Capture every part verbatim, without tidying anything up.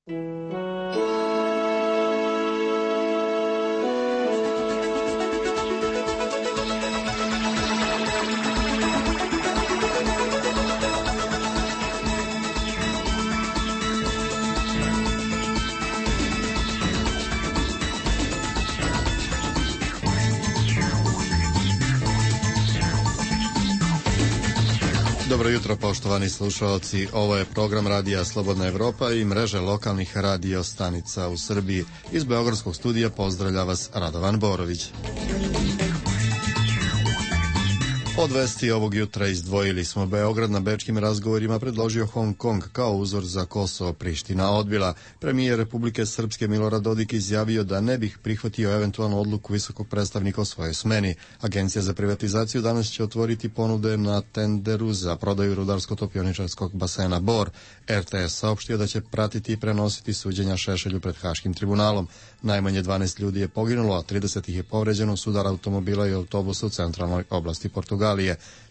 Dobro jutro, poštovani slušalci. Ovo je program Radija Slobodna Evropa i mreže lokalnih radio stanica u Srbiji. Iz Beogradskog studija pozdravlja vas Radovan Borović. Od vesti ovog jutra izdvojili smo: Beograd na bečkim razgovorima predložio Hong Kong kao uzor za Kosovo, Priština odbila. Premijer Republike Srpske Milorad Dodik izjavio da ne bih prihvatio eventualnu odluku visokog predstavnika o svojoj smeni. Agencija za privatizaciju danas će otvoriti ponude na tenderu za prodaju rudarsko-topioničarskog basena Bor. R T S saopštio da će pratiti i prenositi suđenja Šešelju pred Haškim tribunalom. Najmanje dvanaest ljudi je poginulo, a trideset ih je povređeno u sudaru automobila i autobusa u centralnoj oblasti Portugalije.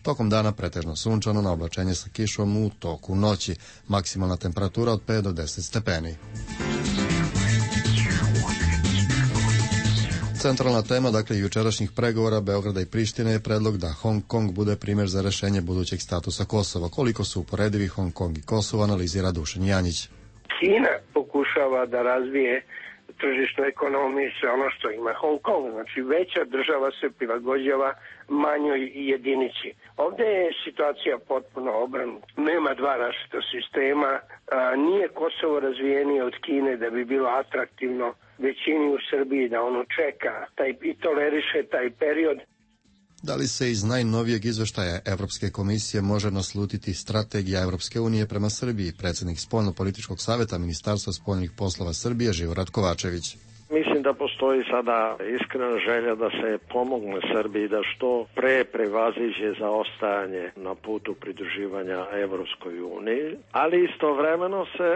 Tokom dana pretežno sunčano, na oblačenje sa kišom u toku noći. Maksimalna temperatura od pet do deset stepeni. Centralna tema, dakle, jučerašnjih pregovora Beograda i Prištine je predlog da Hong Kong bude primjer za rešenje budućeg statusa Kosova. Koliko su uporedivi Hong Kong i Kosovo, analizira Dušan Janjić. Kina pokušava da razvije tržišnu ekonomiju i sve ono što ima Hong Kong. Znači, veća država se prilagođava manjoj jedinici. Ovdje je situacija potpuno obrnuta. Nema dva različita sistema. A, nije Kosovo razvijenije od Kine da bi bilo atraktivno većini u Srbiji da ono čeka taj, i toleriše taj period. Da li se iz najnovijeg izveštaja Evropske komisije može naslutiti strategija Evropske unije prema Srbiji? Predsjednik Spoljno-političkog savjeta Ministarstva spoljnih poslova Srbije Živorad Kovačević. Mislim da postoji sada iskrena želja da se pomogne Srbiji da što pre prevaziđe zaostajanje na putu pridruživanja Evropskoj uniji, ali istovremeno se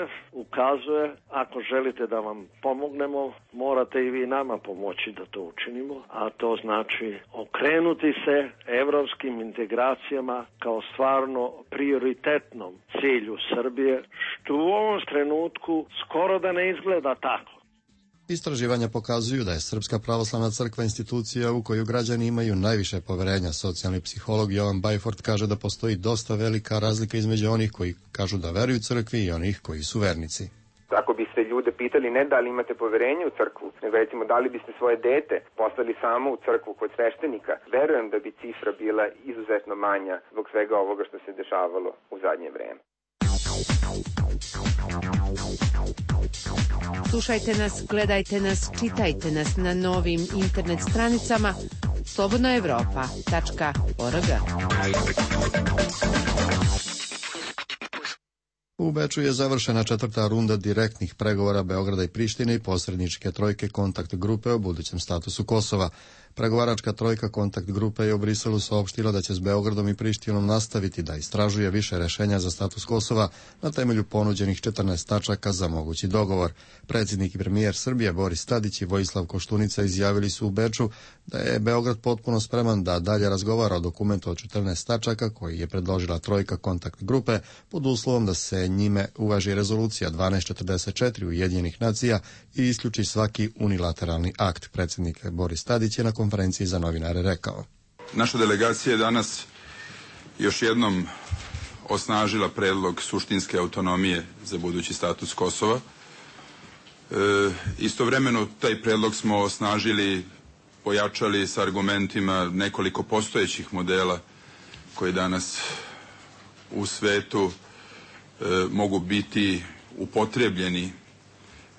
ukazuje, ako želite da vam pomognemo, morate i vi nama pomoći da to učinimo, a to znači okrenuti se evropskim integracijama kao stvarno prioritetnom cilju Srbije, što u ovom trenutku skoro da ne izgleda tako. Istraživanja pokazuju da je Srpska pravoslavna crkva institucija u koju građani imaju najviše poverenja. Socijalni psiholog Jovan Bajford kaže da postoji dosta velika razlika između onih koji kažu da veruju crkvi i onih koji su vernici. Ako biste ljude pitali ne da li imate poverenje u crkvu, nego recimo da li biste svoje dete poslali samo u crkvu kod sveštenika, verujem da bi cifra bila izuzetno manja zbog svega ovoga što se dešavalo u zadnje vreme. Slušajte nas, gledajte nas, čitajte nas na novim internet stranicama slobodna evropa tačka org. U Beču je završena četvrta runda direktnih pregovora Beograda i Prištine i posredničke trojke kontakt grupe o budućem statusu Kosova. Pregovaračka trojka kontakt grupe je u Briselu saopštila da će s Beogradom i Prištinom nastaviti da istražuje više rešenja za status Kosova na temelju ponuđenih četrnaest tačaka za mogući dogovor. Predsjednik i premijer Srbije Boris Tadić i Vojislav Koštunica izjavili su u Beču da je Beograd potpuno spreman da dalje razgovara o dokumentu od četrnaest tačaka koji je predložila trojka kontakt grupe pod uslovom da se njime uvaži rezolucija dvanaest četrdeset četiri Ujedinjenih nacija i isključi svaki unilateralni akt. Predsjednik Boris Tadić je na konferenciji za novinare rekao: Naša delegacija je danas još jednom osnažila predlog suštinske autonomije za budući status Kosova. E, istovremeno taj predlog smo osnažili, pojačali sa argumentima nekoliko postojećih modela koji danas u svetu e, mogu biti upotrebljeni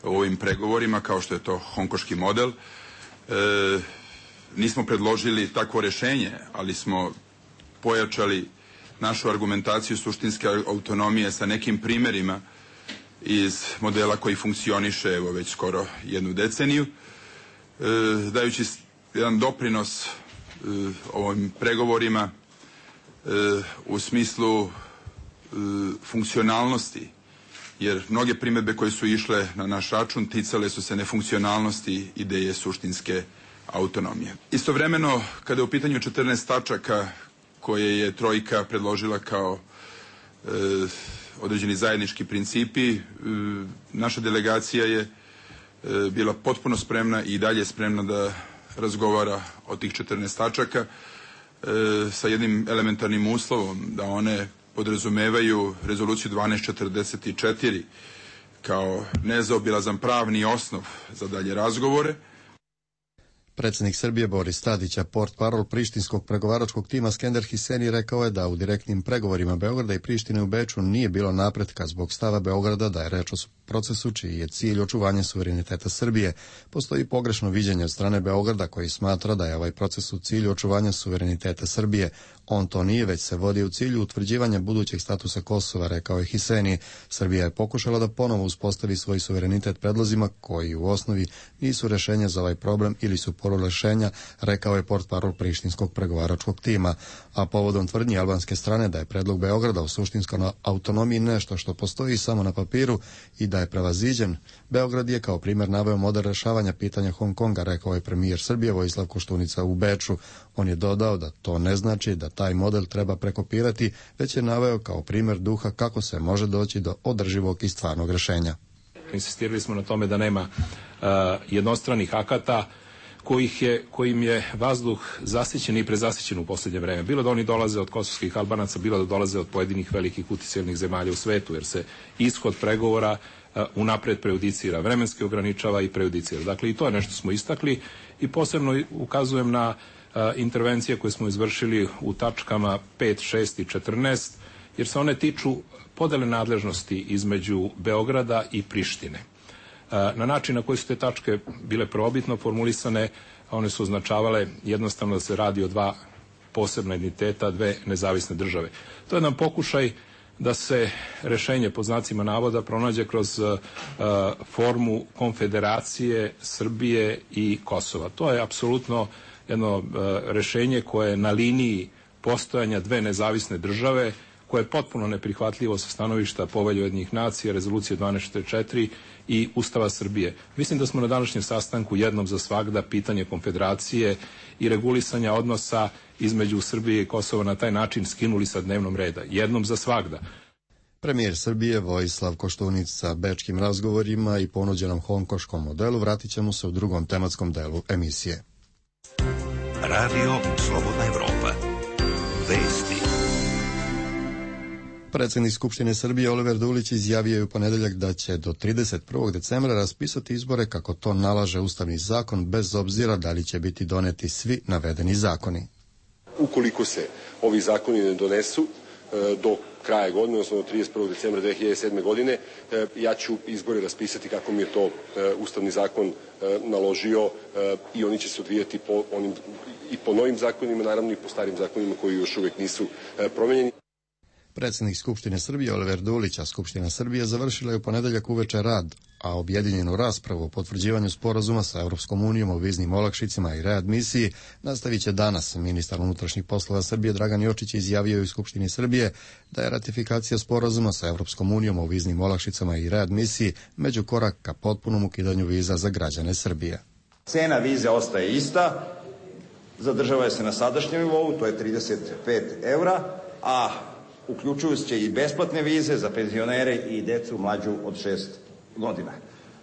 u ovim pregovorima, kao što je to hongkoški model. E, nismo predložili takvo rešenje, ali smo pojačali našu argumentaciju suštinske autonomije sa nekim primerima iz modela koji funkcioniše evo već skoro jednu deceniju, e, dajući jedan doprinos e, ovim pregovorima e, u smislu e, funkcionalnosti, jer mnoge primedbe koje su išle na naš račun ticale su se nefunkcionalnosti ideje suštinske autonomije. Istovremeno, kada je u pitanju četrnaest tačaka koje je trojka predložila kao određeni zajednički principi. Naša delegacija je bila potpuno spremna i dalje spremna da razgovara o tih četrnaest tačaka sa jednim elementarnim uslovom, da one podrazumevaju rezoluciju dvanaest četrdeset četiri kao nezaobilazan pravni osnov za dalje razgovore. Predsjednik Srbije Boris Tadić, a portparol prištinskog pregovaračkog tima Skender Hiseni rekao je da u direktnim pregovorima Beograda i Prištine u Beču nije bilo napretka zbog stava Beograda da je reč o procesu čiji je cilj očuvanje suvereniteta Srbije. Postoji pogrešno viđenje od strane Beograda koji smatra da je ovaj proces u cilju očuvanja suvereniteta Srbije. On to nije, već se vodi u cilju utvrđivanja budućeg statusa Kosova, rekao je Hiseni. Srbija je pokušala da ponovo uspostavi svoj suverenitet predlozima koji u osnovi nisu rešenja za ovaj problem ili su rešenja, rekao je portparol prištinskog pregovaračkog tima. A povodom tvrdnji albanske strane da je predlog Beograda o suštinskoj autonomiji nešto što postoji samo na papiru i da je prevaziđen, Beograd je kao primjer naveo model rešavanja pitanja Hong Konga, rekao je premijer Srbije Vojislav Koštunica u Beču. On je dodao da to ne znači da taj model treba prekopirati, već je naveo kao primjer duha kako se može doći do održivog i stvarnog rešenja. Insistirali smo na tome da nema uh, jednostranih akata kojih je, kojim je vazduh zasićen i prezasićen u posljednje vreme. Bilo da oni dolaze od kosovskih Albanaca, bilo da dolaze od pojedinih velikih utjecajnih zemalja u svetu, jer se ishod pregovora uh, unapred prejudicira, vremenski ograničava i prejudicira. Dakle, i to je nešto smo istakli i posebno ukazujem na uh, intervencije koje smo izvršili u tačkama pet, šest i četrnaest, jer se one tiču podele nadležnosti između Beograda i Prištine. Na način na koji su te tačke bile prvobitno formulisane, one su označavale jednostavno da se radi o dva posebna entiteta, dve nezavisne države. To je jedan pokušaj da se rešenje pod znacima navoda pronađe kroz uh, formu konfederacije Srbije i Kosova. To je apsolutno jedno uh, rešenje koje je na liniji postojanja dve nezavisne države, koje je potpuno neprihvatljivo sa stanovišta Povelje Ujedinjenih nacija, rezolucije dvanaest četrdeset četiri i Ustava Srbije. Mislim da smo na današnjem sastanku jednom za svagda pitanje konfederacije i regulisanja odnosa između Srbije i Kosova na taj način skinuli sa dnevnom reda. Jednom za svagda. Premijer Srbije Vojislav Koštunica sa bečkim razgovorima i ponuđenom hongkoškom modelu vratit ćemo se u drugom tematskom delu emisije. Radio Slobodna Evropa. Vesti. Predsjednik Skupštine Srbije Oliver Dulić izjavio je u ponedeljak da će do trideset prvog decembra raspisati izbore kako to nalaže Ustavni zakon, bez obzira da li će biti doneti svi navedeni zakoni. Ukoliko se ovi zakoni ne donesu do kraja godine, odnosno do trideset prvog decembra dve hiljade sedme. godine, ja ću izbore raspisati kako mi je to Ustavni zakon naložio i oni će se odvijati po onim, i po novim zakonima, naravno i po starim zakonima koji još uvijek nisu promenjeni. Predsjednik Skupštine Srbije Oliver Dulić, a Skupština Srbije završila je u ponedeljak uveče rad, a objedinjenu raspravu o potvrđivanju sporazuma sa Europskom unijom o viznim olakšicama i readmisiji nastavit će danas. Ministar unutrašnjih poslova Srbije Dragan Jočić izjavio u Skupštini Srbije da je ratifikacija sporazuma sa Europskom unijom o viznim olakšicama i readmisiji među korak ka potpunom ukidanju viza za građane Srbije. Cena vize ostaje ista, zadržava se na sadašnjem nivou, to je trideset pet evra, a uključuju se i besplatne vize za penzionere i decu mlađu od šest godina.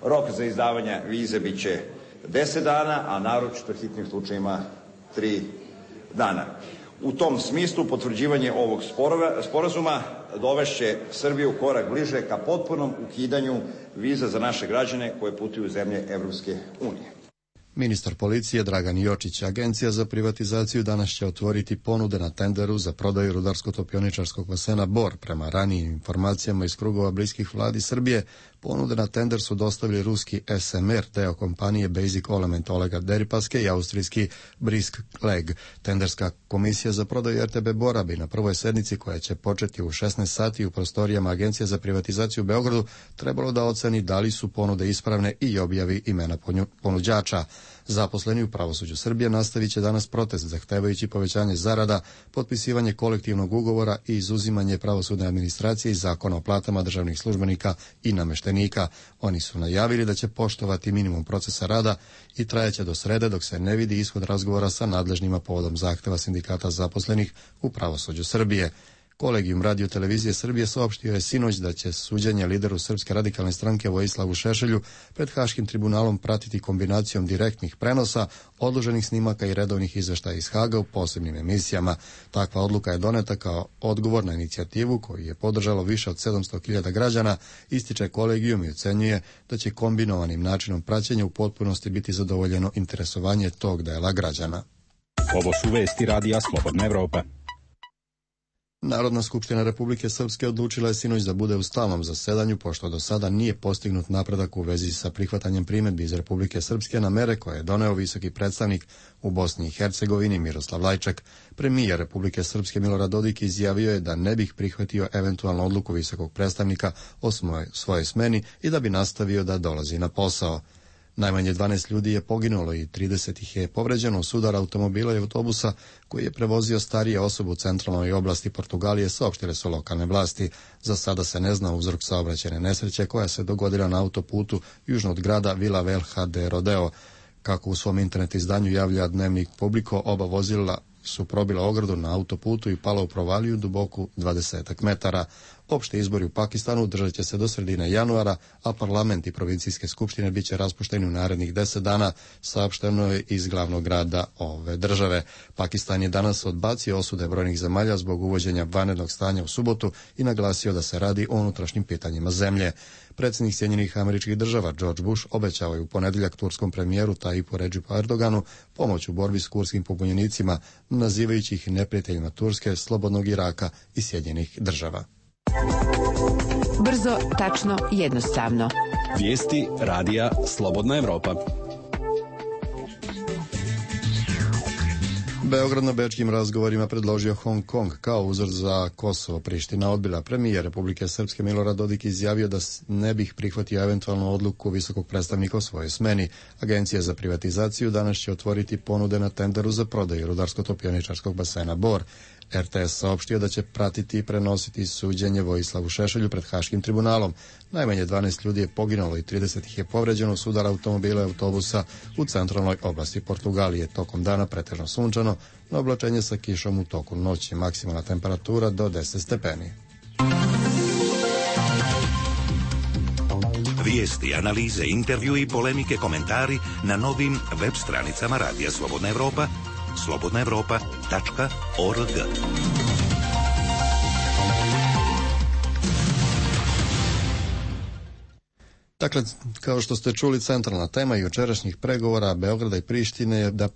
Rok za izdavanje vize bit će deset dana, a naročito hitnim slučajima tri dana. U tom smislu potvrđivanje ovog sporazuma dovešće Srbiju korak bliže ka potpunom ukidanju viza za naše građane koje putuju u zemlje Evropske unije. Ministar policije Dragan Jočić, Agencija za privatizaciju danas će otvoriti ponude na tenderu za prodaju rudarsko-topioničarskog basena Bor. Prema ranijim informacijama iz krugova bliskih vladi Srbije, ponude na tender su dostavili ruski S M R, deo kompanije Basic Element Olega Deripaske i austrijski Brisk Leg. Tenderska komisija za prodaju R T B Bora bi na prvoj sednici, koja će početi u šesnaest sati u prostorijama Agencije za privatizaciju u Beogradu, trebalo da oceni da li su ponude ispravne i objavi imena ponuđača. Zaposleni u pravosuđu Srbije nastavit će danas protest zahtevajući povećanje zarada, potpisivanje kolektivnog ugovora i izuzimanje pravosudne administracije i zakona o platama državnih službenika i nameštenika. Oni su najavili da će poštovati minimum procesa rada i trajaće do srede dok se ne vidi ishod razgovora sa nadležnima povodom zahteva sindikata zaposlenih u pravosuđu Srbije. Kolegijum Radio televizije Srbije saopštio je sinoć da će suđenje lideru Srpske radikalne stranke Vojislavu Šešelju pred Haškim tribunalom pratiti kombinacijom direktnih prenosa, odloženih snimaka i redovnih izveštaja iz Haga u posebnim emisijama. Takva odluka je doneta kao odgovor na inicijativu koju je podržalo više od sedamsto hiljada građana, ističe kolegijum i ocenjuje da će kombinovanim načinom praćenja u potpunosti biti zadovoljeno interesovanje tog dela građana. Ovo su vesti Radija Slobodna Evropa. Narodna skupština Republike Srpske odlučila je sinoć da bude u stalnom zasedanju, pošto do sada nije postignut napredak u vezi sa prihvatanjem primedbi iz Republike Srpske na mere koje je doneo visoki predstavnik u Bosni i Hercegovini Miroslav Lajčak. Premijer Republike Srpske Milorad Dodik izjavio je da ne bih prihvatio eventualnu odluku visokog predstavnika o svojoj smeni i da bi nastavio da dolazi na posao. Najmanje dvanaest ljudi je poginulo i trideset ih je povređeno u sudar automobila i autobusa koji je prevozio starije osobe u centralnoj oblasti Portugalije, saopštile su lokalne vlasti. Za sada se ne zna uzrok saobraćajne nesreće koja se dogodila na autoputu južno od grada Vila Velha de Rodeo. Kako u svom internet izdanju javlja dnevnik Publiko, oba vozila su probila ogradu na autoputu i pala u provaliju duboku dvadesetak metara. Opšte izbori u Pakistanu održat će se do sredine januara, a parlament i provincijske skupštine bit će raspušteni u narednih deset dana, saopšteno je iz glavnog grada ove države. Pakistan je danas odbacio osude brojnih zemalja zbog uvođenja vanrednog stanja u subotu i naglasio da se radi o unutrašnjim pitanjima zemlje. Predsjednik Sjedinjenih Američkih Država George Bush obećao je u ponedjeljak turskom premijeru Tajipu Redžipu Erdoganu pomoć u borbi s kurskim pobunjenicima, nazivajući ih neprijateljima Turske, slobodnog Iraka i Sjedinjenih Država. Brzo, tačno, jednostavno. Vijesti Radija Slobodna Evropa. Beograd na bečkim razgovorima predložio Hong Kong kao uzor za Kosovo. Priština odbila. Premijer Republike Srpske Milorad Dodik izjavio da ne bih prihvatio eventualnu odluku visokog predstavnika o svojoj smeni. Agencija za privatizaciju danas će otvoriti ponude na tenderu za prodaju rudarsko-topioničarskog basena Bor. R T S saopštio da će pratiti i prenositi suđenje Vojislavu Šešelju pred Haškim tribunalom. Najmanje dvanaest ljudi je poginulo i trideset ih je povređeno u sudar automobila i autobusa u centralnoj oblasti Portugalije. Tokom dana pretežno sunčano, na oblačenje sa kišom u toku noći. Maksimalna temperatura do deset stepeni. Vijesti, analize, intervju i polemike, komentari na novim web stranicama Radija Slobodna Evropa, slobodna evropa tačka org. Dakle, kao što ste čuli, centralna tema jučerašnjih pregovora Beograda i Prištine je da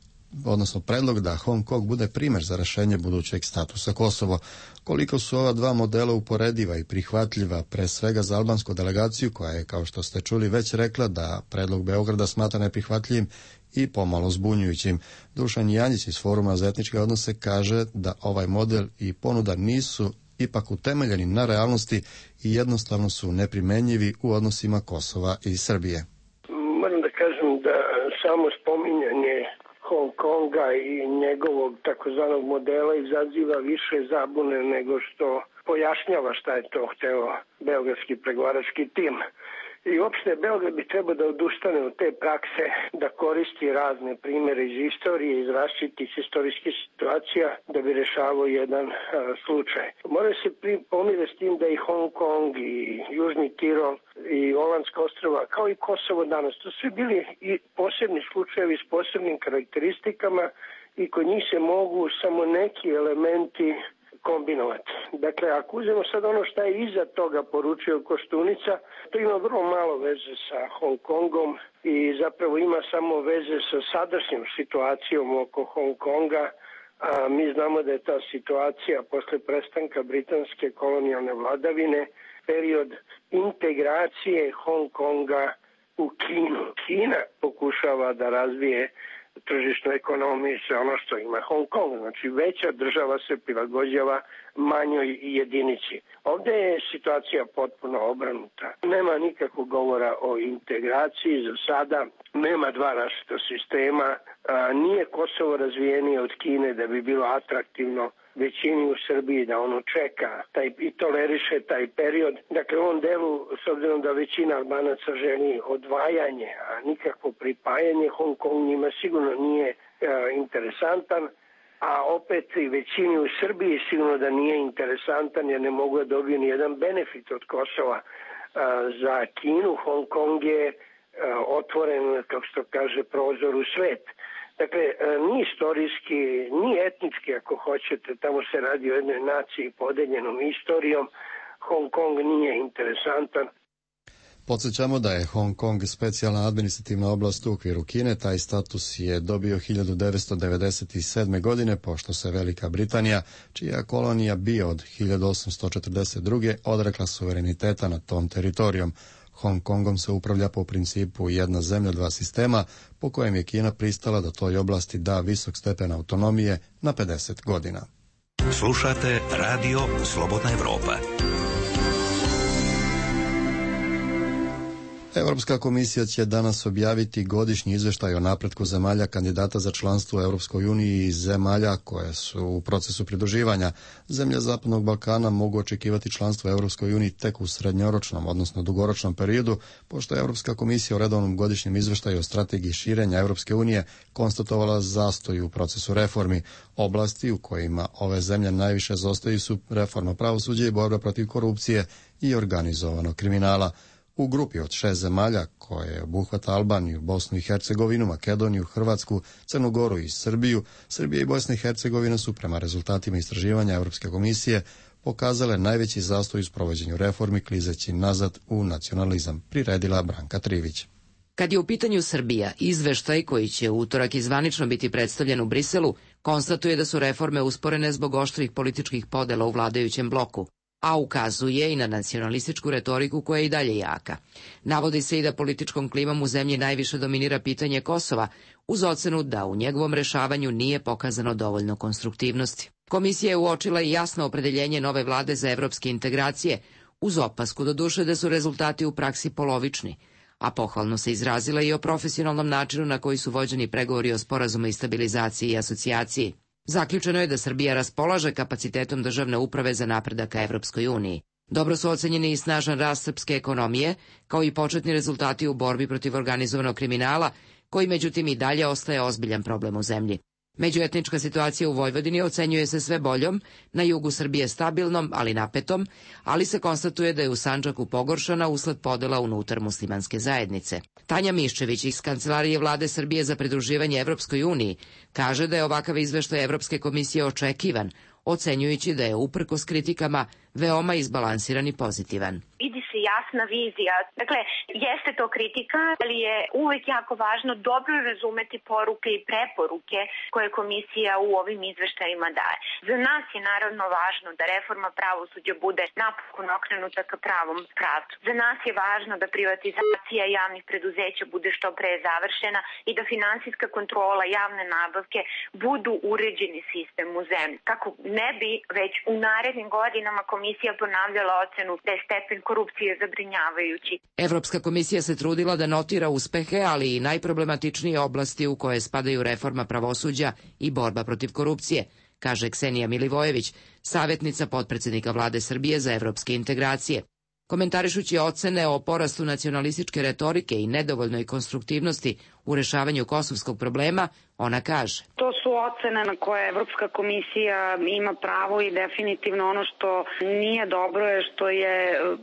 odnosno predlog da Hong Kong bude primjer za rešenje budućeg statusa Kosovo. Koliko su ova dva modela uporediva i prihvatljiva, pre svega za albansku delegaciju, koja je, kao što ste čuli, već rekla da predlog Beograda smatra neprihvatljivim i pomalo zbunjujućim. Dušan Janjić iz Foruma za etničke odnose kaže da ovaj model i ponuda nisu ipak utemeljeni na realnosti i jednostavno su neprimenjivi u odnosima Kosova i Srbije. Moram da kažem da samo spominjanje Hong Konga i njegovog takozvanog modela izaziva više zabune nego što pojašnjava šta je to hteo beogradski pregovarački tim. I uopšte Beograd bi trebao da odustane od te prakse, da koristi razne primere iz istorije, iz različitih istorijskih situacija da bi rešavao jedan a, slučaj. Mora se pomire s tim da i Hong Kong i Južni Tirol i Olandska ostrava, kao i Kosovo danas, to su bili i posebni slučajevi s posebnim karakteristikama i kod njih se mogu samo neki elementi kombinovati. Dakle, ako uzmemo sad ono što je iza toga poručio Koštunica, to ima vrlo malo veze sa Hong Kongom i zapravo ima samo veze sa sadašnjom situacijom oko Hong Konga, a mi znamo da je ta situacija posle prestanka britanske kolonijalne vladavine period integracije Hong Konga u Kinu. Kina pokušava da razvije tržišnu ekonomiju i sve ono što ima Hong Kong. Znači, veća država se prilagođava manjoj jedinici. Ovdje je situacija potpuno obrnuta. Nema nikakvog govora o integraciji za sada. Nema dva različita sistema. A, nije Kosovo razvijenije od Kine da bi bilo atraktivno većini u Srbiji da ono čeka taj, i toleriše taj period. Dakle, u ovom delu, s obzirom da većina Albanaca želi odvajanje, a nikakvo pripajanje, Hong Kong njima sigurno nije e, interesantan. a opet i većini u Srbiji sigurno da nije interesantan jer ne mogu da dobiju ni jedan benefit od Kosova. Za Kinu Hong Kong je otvoren, kako se to kaže, prozor u svet. Dakle, ni istorijski, ni etnički, ako hoćete, tamo se radi o jednoj naciji podeljenom istorijom, Hong Kong nije interesantan. Podsjećamo da je Hong Kong specijalna administrativna oblast u okviru Kine. Taj status je dobio hiljadu devetsto devedeset sedme. godine, pošto se Velika Britanija, čija kolonija bio od hiljadu osamsto četrdeset druge. odrekla suvereniteta nad tom teritorijom. Hong Kongom se upravlja po principu jedna zemlja, dva sistema, po kojem je Kina pristala da toj oblasti da visok stepen autonomije na pedeset godina. Slušate Radio Slobodna Evropa. Europska komisija će danas objaviti godišnji izveštaj o napretku zemalja kandidata za članstvo u Europskoj uniji i zemalja koje su u procesu pridruživanja. Zemlje Zapadnog Balkana mogu očekivati članstvo u Europskoj uniji tek u srednjoročnom, odnosno dugoročnom periodu, pošto je Europska komisija u redovnom godišnjem izveštaju o strategiji širenja Europske unije konstatovala zastoj u procesu reformi. Oblasti u kojima ove zemlje najviše zaostaju su reforma pravosuđa i borba protiv korupcije i organizovanog kriminala. U grupi od šest zemalja, koje obuhvata Albaniju, Bosnu i Hercegovinu, Makedoniju, Hrvatsku, Crnu Goru i Srbiju, Srbija i Bosna i Hercegovina su prema rezultatima istraživanja Europske komisije pokazale najveći zastoj u sprovođenju reformi, klizeći nazad u nacionalizam, priredila Branka Trivić. Kad je u pitanju Srbija, izveštaj koji će u utorak i zvanično biti predstavljen u Briselu, konstatuje da su reforme usporene zbog oštrih političkih podela u vladajućem bloku, a ukazuje i na nacionalističku retoriku koja je i dalje jaka. Navodi se i da političkom klimom u zemlji najviše dominira pitanje Kosova, uz ocenu da u njegovom rešavanju nije pokazano dovoljno konstruktivnosti. Komisija je uočila i jasno opredeljenje nove vlade za evropske integracije, uz opasku doduše da su rezultati u praksi polovični, a pohvalno se izrazila i o profesionalnom načinu na koji su vođeni pregovori o sporazumu i stabilizaciji i asocijaciji. Zaključeno je da Srbija raspolaže kapacitetom državne uprave za napredak ka Evropskoj uniji. Dobro su ocenjeni i snažan rast srpske ekonomije, kao i početni rezultati u borbi protiv organizovanog kriminala, koji međutim i dalje ostaje ozbiljan problem u zemlji. Međuetnička situacija u Vojvodini ocenjuje se sve boljom, na jugu Srbije stabilnom, ali napetom, ali se konstatuje da je u Sandžaku pogoršana usled podela unutar muslimanske zajednice. Tanja Miščević iz Kancelarije vlade Srbije za pridruživanje Evropskoj uniji kaže da je ovakav izveštaj Evropske komisije očekivan, ocenjujući da je uprkos kritikama veoma izbalansiran i pozitivan. Vidi se jasna vizija. Dakle, jeste to kritika, ali je uvek jako važno dobro razumeti poruke i preporuke koje komisija u ovim izveštajima daje. Za nas je naravno važno da reforma pravosuđa bude napokon okrenuta ka pravom pravcu. Za nas je važno da privatizacija javnih preduzeća bude što pre završena i da finansijska kontrola javne nabavke budu uređeni sistem u zemlji. Kako ne bi već u narednim godinama komisija ponavljala ocenu da je stepen korupcije zabrinjavajući. Evropska komisija se trudila da notira uspehe, ali i najproblematičnije oblasti u koje spadaju reforma pravosuđa i borba protiv korupcije, kaže Ksenija Milivojević, savjetnica potpredsednika vlade Srbije za evropske integracije. Komentarišući ocene o porastu nacionalističke retorike i nedovoljnoj konstruktivnosti u rešavanju kosovskog problema, ona kaže: To su ocene na koje Evropska komisija ima pravo i definitivno ono što nije dobro je što je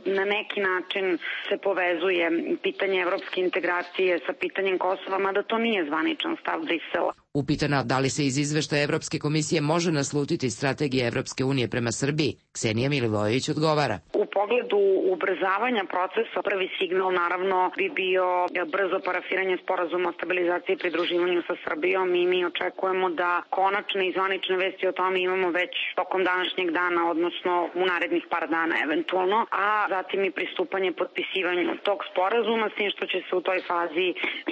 na neki način se povezuje pitanje evropske integracije sa pitanjem Kosova, mada to nije zvaničan stav Brisela. Upitana da li se iz izveštaja Evropske komisije može naslutiti strategija Evropske unije prema Srbiji, Ksenija Milivojević odgovara: U pogledu ubrzavanja procesa, prvi signal naravno bi bio brzo parafiranje sporazuma o stabilizaciji i pridruživanju sa Srbijom i mi očekujemo da konačne i zvanične vesti o tome imamo već tokom današnjeg dana, odnosno u narednih par dana eventualno, a zatim i pristupanje potpisivanju tog sporazuma, s tim što će se u toj fazi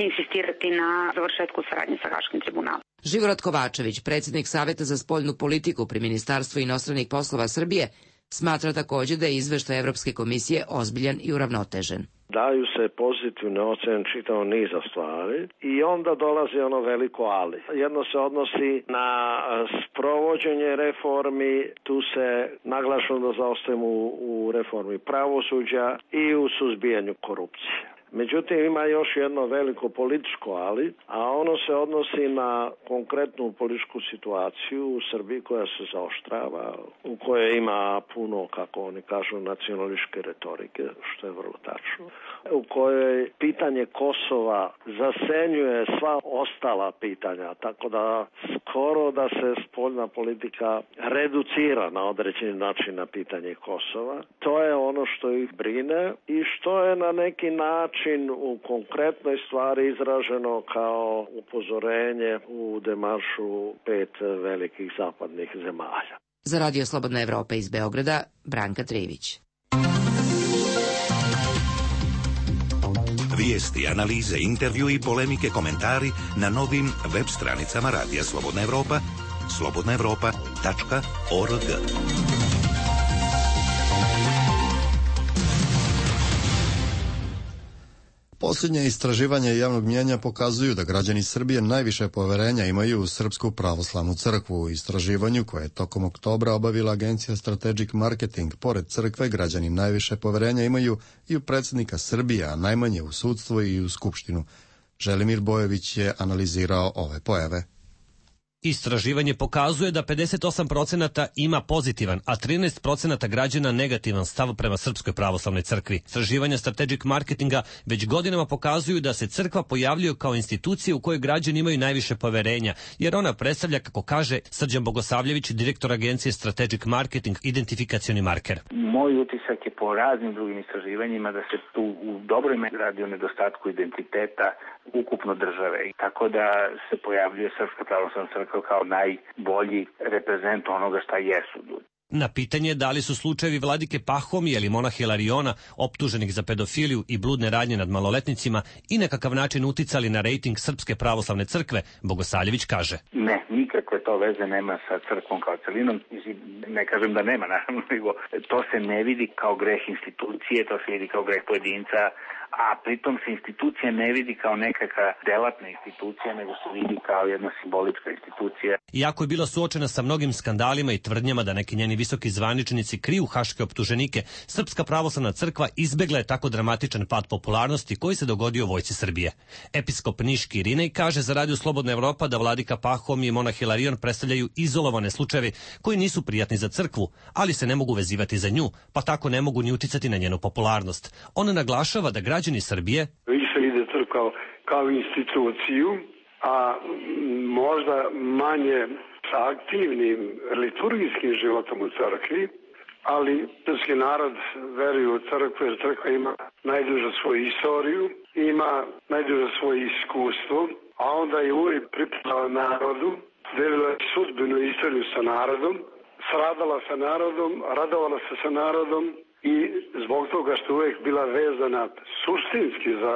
insistirati na završetku saradnje sa Haškim tribunalom. Živorad Kovačević, predsjednik Saveta za spoljnu politiku pri Ministarstvu inostranih poslova Srbije, smatra također da je izveštaj Evropske komisije ozbiljan i uravnotežen. Daju se pozitivne ocene čitavog niza stvari i onda dolazi ono veliko ali. Jedno se odnosi na sprovođenje reformi, tu se naglašeno da zaostajemo u, u reformi pravosuđa i u suzbijanju korupcije. Međutim, ima još jedno veliko političko ali, a ono se odnosi na konkretnu političku situaciju u Srbiji koja se zaoštrava, u kojoj ima puno, kako oni kažu, nacionalističke retorike, što je vrlo tačno, u kojoj pitanje Kosova zasenjuje sva ostala pitanja, tako da skoro da se spoljna politika reducira na određeni način na pitanje Kosova. To je ono što ih brine i što je na neki način u konkretnoj stvari izraženo kao upozorenje u demaršu pet velikih zapadnih zemalja. Za Radio Slobodna Evropa iz Beograda, Branka Trivić. Vijesti, analize, intervju i polemike, komentari na novim web stranicama Radija Slobodna Evropa, slobodna evropa tačka org. Posljednje istraživanje javnog mnijenja pokazuju da građani Srbije najviše poverenja imaju u Srpsku pravoslavnu crkvu. U istraživanju koje je tokom oktobra obavila agencija Strategic Marketing, pored crkve građani najviše poverenja imaju i u predsjednika Srbije, a najmanje u sudstvo i u Skupštinu. Želimir Bojević je analizirao ove pojave. Istraživanje pokazuje da pedeset osam procenata ima pozitivan, a trinaest procenata građana negativan stav prema Srpskoj pravoslavnoj crkvi. Istraživanja Strategic Marketinga već godinama pokazuju da se crkva pojavljuje kao institucija u kojoj građani imaju najviše poverenja, jer ona predstavlja, kako kaže Srđan Bogosavljević, direktor agencije Strategic Marketing, identifikacioni marker. Moj utisak je po raznim drugim istraživanjima da se tu u dobroj meri radi o nedostatku identiteta ukupno države. Tako da se pojavljuje Srpska pravoslavna crkva kao najbolji reprezent onoga šta jesu ljudi. Na pitanje da li su slučajevi vladike Pahomija ili monaha Hilariona, optuženih za pedofiliju i bludne radnje nad maloletnicima, i na kakav način uticali na rejting Srpske pravoslavne crkve, Bogosavljević kaže: Ne, nikakve to veze nema sa crkvom kao celinom. Ne kažem da nema, naravno, nego to se ne vidi kao greh institucije, to se vidi kao greh pojedinca, a pritom se institucija ne vidi kao nekakva delatna institucija, nego se vidi kao jedna simbolička institucija. Iako je bila suočena sa mnogim skandalima i tvrdnjama da neki njeni visoki zvaničnici kriju haške optuženike, Srpska pravoslavna crkva izbegla je tako dramatičan pad popularnosti koji se dogodio vojsci Srbije. Episkop Niški Irinej kaže za Radio Slobodna Evropa da vladika Pahom i monah Hilarion predstavljaju izolovane slučajeve koji nisu prijatni za crkvu, ali se ne mogu vezivati za nju, pa tako ne mogu ni uticati na njenu popularnost. On naglašava da građani Srbije više vide crkvu kao, kao instituciju, a možda manje sa aktivnim liturgijskim životom u crkvi, ali srpski narod veruje u crkvu jer crkva ima najdužu svoju istoriju, ima najdužu svoje iskustvo, a onda je uvijek pripadala narodu, delila je sudbinu istoriju sa narodom, sradala sa narodom, radovala se sa narodom i zbog toga što uvijek bila vezana suštinski za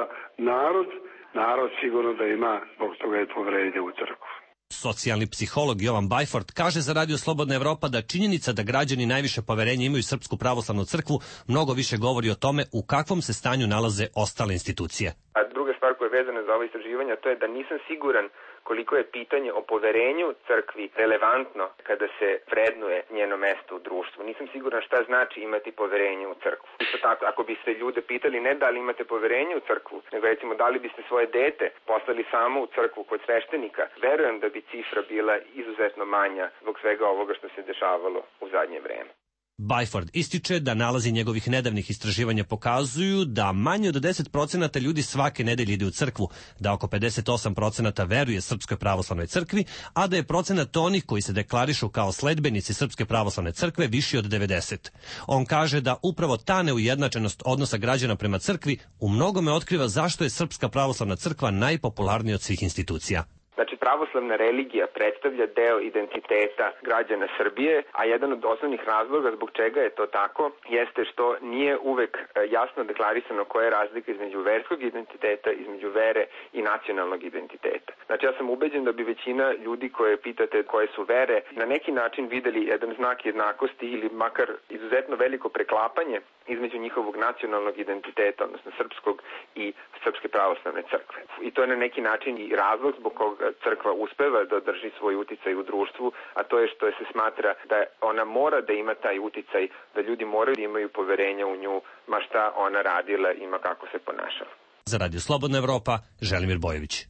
narod, narod sigurno da ima zbog toga je poverenje u crkvu. Socijalni psiholog Jovan Bajford kaže za Radio Slobodna Evropa da činjenica da građani najviše poverenja imaju Srpsku pravoslavnu crkvu mnogo više govori o tome u kakvom se stanju nalaze ostale institucije. A druga stvar koja je vezana za ovo istraživanje, to je da nisam siguran koliko je pitanje o poverenju crkvi relevantno kada se vrednuje njeno mesto u društvu. Nisam siguran šta znači imati poverenje u crkvu. Isto tako, ako biste ljude pitali ne da li imate poverenje u crkvu, nego recimo da li biste svoje dete poslali samo u crkvu kod sveštenika, verujem da bi cifra bila izuzetno manja zbog svega ovoga što se dešavalo u zadnje vreme. Bajford ističe da nalazi njegovih nedavnih istraživanja pokazuju da manje od deset procenata ljudi svake nedelje ide u crkvu, da oko pedeset osam procenata veruje Srpskoj pravoslavnoj crkvi, a da je procenat onih koji se deklarišu kao sledbenici Srpske pravoslavne crkve viši od devedeset. On kaže da upravo ta neujednačenost odnosa građana prema crkvi u mnogome otkriva zašto je Srpska pravoslavna crkva najpopularnija od svih institucija. Znači, pravoslavna religija predstavlja deo identiteta građana Srbije, a jedan od osnovnih razloga zbog čega je to tako jeste što nije uvek jasno deklarisano koja je razlika između verskog identiteta, između vere i nacionalnog identiteta. Znači, ja sam ubeđen da bi većina ljudi koje pitate koje su vere na neki način videli jedan znak jednakosti ili makar izuzetno veliko preklapanje između njihovog nacionalnog identiteta, odnosno srpskog i Srpske pravoslavne crkve. I to je na neki način i razlog zbog koga crkva uspeva da drži svoj uticaj u društvu, a to je što se smatra da ona mora da ima taj uticaj, da ljudi moraju da imaju poverenja u nju, ma šta ona radila i ma kako se ponašala. Za Radio Slobodna Evropa, Želimir Bojović.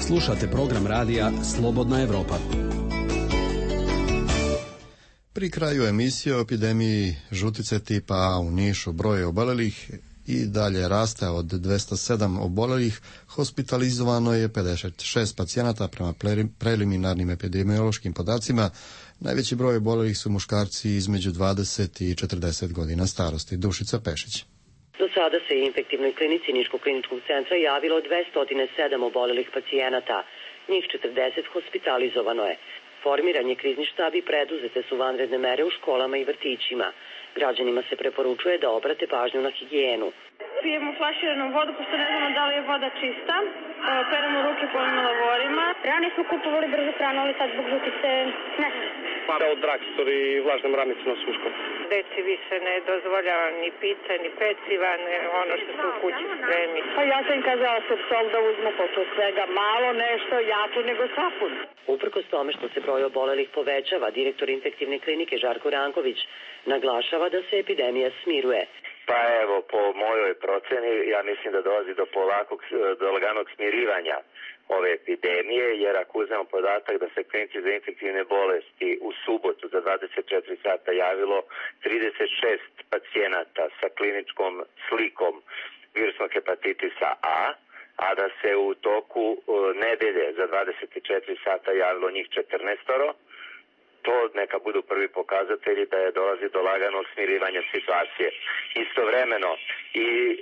Slušate program radija Slobodna Evropa. Pri kraju emisije o epidemiji žutice tipa A u Nišu broj obolelih i dalje raste. Od dvesta sedam obolelih hospitalizovano je pedeset šest pacijenata prema preliminarnim epidemiološkim podacima. Najveći broj obolelih su muškarci između dvadeset i četrdeset godina starosti. Dušica Pešić. Do sada se infektivnoj klinici Niškog kliničkog centra javilo dvesta sedam obolelih pacijenata. Njih četrdeset hospitalizovano je. Formiran je krizni štab i preduzete su vanredne mere u školama i vrtićima. Građanima se preporučuje da obrate pažnju na higijenu. Pijemo flaširanu vodu, pošto ne znamo da li je voda čista. Peremo ruke polnim lavorima. Ranije smo kupovali brzu hranu, ali sad zbog žutice ne. Para od Drakstor i vlažne mramice na suškom. Deci više ne dozvoljava ni pizza, ni peciva, ne ono što se u kući spremi. Pa ja sam kazala se sol da uzmu pošto svega malo nešto jače nego sapun. Uprkos tome što se broj obolelih povećava, direktor infektivne klinike Žarko Ranković naglašava da se epidemija smiruje. Pa evo, po mojoj proceni, ja mislim da dolazi do polakog, do laganog smirivanja ove epidemije, jer ako uzmemo podatak da se klinici za infektivne bolesti u subotu za dvadeset četiri sata javilo trideset šest pacijenata sa kliničkom slikom virusnog hepatitisa A, a da se u toku nedelje za dvadeset četiri sata javilo njih četrnaestoro, to neka budu prvi pokazatelji da je dolazi do laganog smirivanja situacije. Istovremeno i e,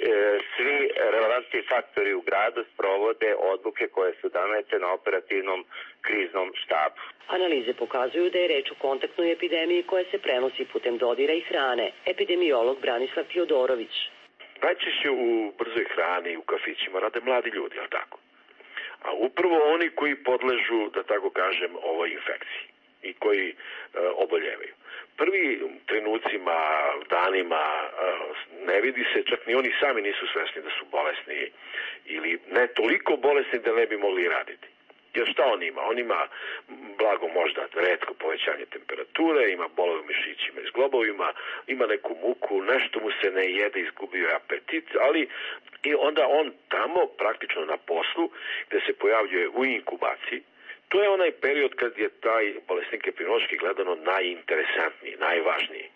svi relevantni faktori u gradu sprovode odluke koje su donete na operativnom kriznom štabu. Analize pokazuju da je reč o kontaktnoj epidemiji koja se prenosi putem dodira i hrane. Epidemiolog Branislav Fjodorović. Najčešće u brzoj hrani i u kafićima rade mladi ljudi, ali tako? A upravo oni koji podležu, da tako kažem, ovoj infekciji i koji e, oboljevaju. Prvi trenucima, danima e, ne vidi se, čak ni oni sami nisu svesni da su bolesni ili ne toliko bolesni da ne bi mogli raditi. Jer šta on ima? On ima blago možda retko povećanje temperature, ima bolove u mišićima i zglobovima, ima neku muku, nešto mu se ne jede, izgubio je apetit, ali i onda on tamo praktično na poslu gde se pojavljuje u inkubaciji. To je onaj period kad je taj bolesnik epidemiološki gledano najinteresantniji, najvažniji.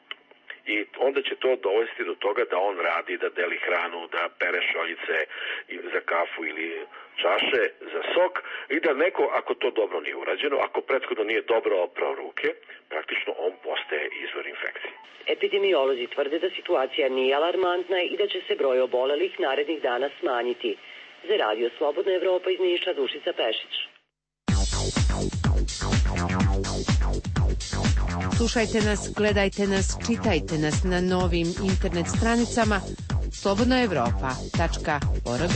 I onda će to dovesti do toga da on radi, da deli hranu, da pere šoljice za kafu ili čaše za sok i da neko, ako to dobro nije urađeno, ako prethodno nije dobro oprao ruke, praktično on postaje izvor infekcije. Epidemiolozi tvrde da situacija nije alarmantna i da će se broj obolelih narednih dana smanjiti. Za Radio Slobodna Evropa iz Niša, Dušica Pešić. Slušajte nas, gledajte nas, čitajte nas na novim internet stranicama slobodna evropa tačka org.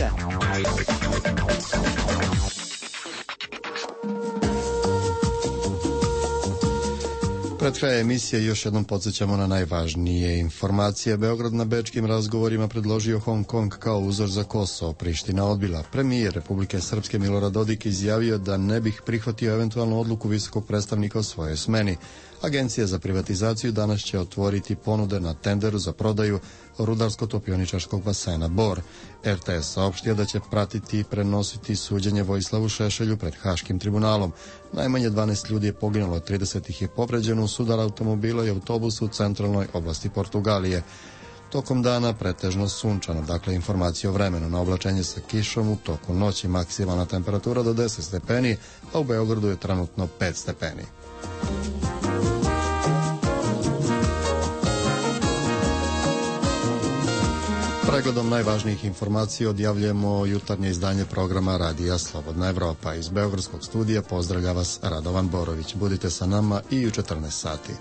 Pred krajem emisije još jednom podsjećamo na najvažnije informacije. Beograd na bečkim razgovorima predložio Hong Kong kao uzor za Kosovo. Priština odbila. Premijer Republike Srpske Milorad Dodik izjavio da ne bih prihvatio eventualnu odluku visokog predstavnika o svojoj smeni. Agencija za privatizaciju danas će otvoriti ponude na tenderu za prodaju rudarsko-topioničarskog basena Bor. R T S saopštio da će pratiti i prenositi suđenje Vojislavu Šešelju pred Haškim tribunalom. Najmanje dvanaest ljudi je poginulo, trideset ih je povređeno u sudar automobila i autobusu u centralnoj oblasti Portugalije. Tokom dana pretežno sunčano, dakle informacije o vremenu. Na oblačenje sa kišom u toku noći maksimalna temperatura do deset stepeni, a u Beogradu je trenutno pet stepeni. Pregledom najvažnijih informacija odjavljujemo jutarnje izdanje programa Radija Slobodna Evropa. Iz Beogradskog studija pozdravlja vas Radovan Borović. Budite sa nama i u četrnaest sati.